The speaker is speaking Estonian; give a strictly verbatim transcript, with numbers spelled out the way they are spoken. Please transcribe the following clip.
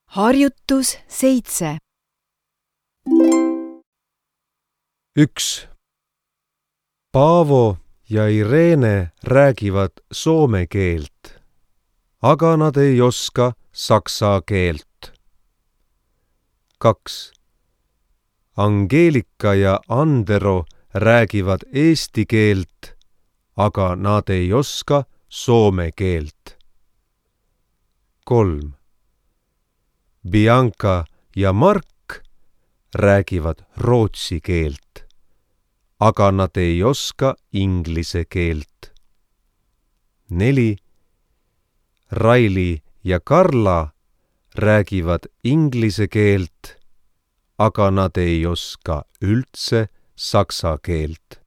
Harjutus seitse. üks. Paavo ja Irene räägivad soome keelt, aga nad ei oska saksa keelt. kaks. Angeelika ja Andero räägivad eesti keelt, aga nad ei oska soome keelt. kolm. Bianca ja Mark räägivad rootsi keelt, aga nad ei oska inglise keelt. neli. Raili ja Karla räägivad inglise keelt, aga nad ei oska üldse saksa keelt.